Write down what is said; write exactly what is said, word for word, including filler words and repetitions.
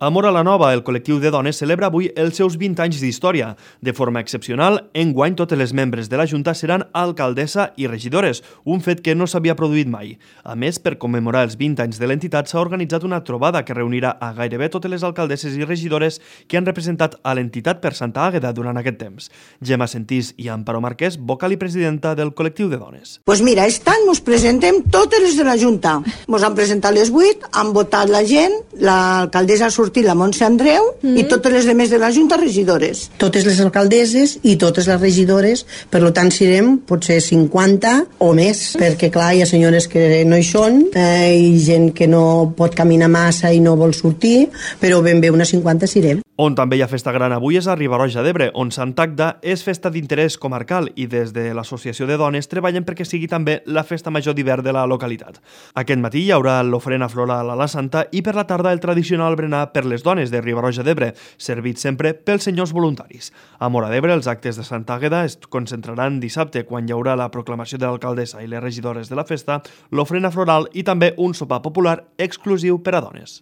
A Móra la Nova, el col·lectiu de dones celebra avui els seus vint anys d'història. De forma excepcional, enguany totes les membres de la Junta seran alcaldessa i regidores, un fet que no s'havia produït mai. A més, per commemorar els vint anys de l'entitat s'ha organitzat una trobada que reunirà a gairebé totes les alcaldesses i regidores que han representat a l'entitat per Santa Àgueda durant aquest temps. Gemma Sentís i Amparo Marquès, vocal i presidenta del col·lectiu de dones. Pues mira, aquest any ens presentem totes les de la Junta. Ens han presentat les vuit, han votat la gent, l'alcaldessa ha sortit la Montse Andreu mm. i totes les demés de la Junta regidores. Totes les alcaldesses i totes les regidores, per tant serem potser cinquanta o més, perquè clar, hi ha senyores que no hi són eh, i gent que no pot caminar massa i no vol sortir, però ben bé unes cinquanta serem. On també hi ha festa gran avui és a Riba-roja d'Ebre, on Sant Agda és festa d'interès comarcal i des de l'Associació de Dones treballen perquè sigui també la festa major d'hivern de la localitat. Aquest matí hi haurà l'ofrena floral a la Santa i per la tarda el tradicional berenar per les dones de Riba-roja d'Ebre, servit sempre pels senyors voluntaris. A Móra d'Ebre els actes de Sant Àgueda es concentraran dissabte quan hi haurà la proclamació de l'alcaldessa i les regidores de la festa, l'ofrena floral i també un sopar popular exclusiu per a dones.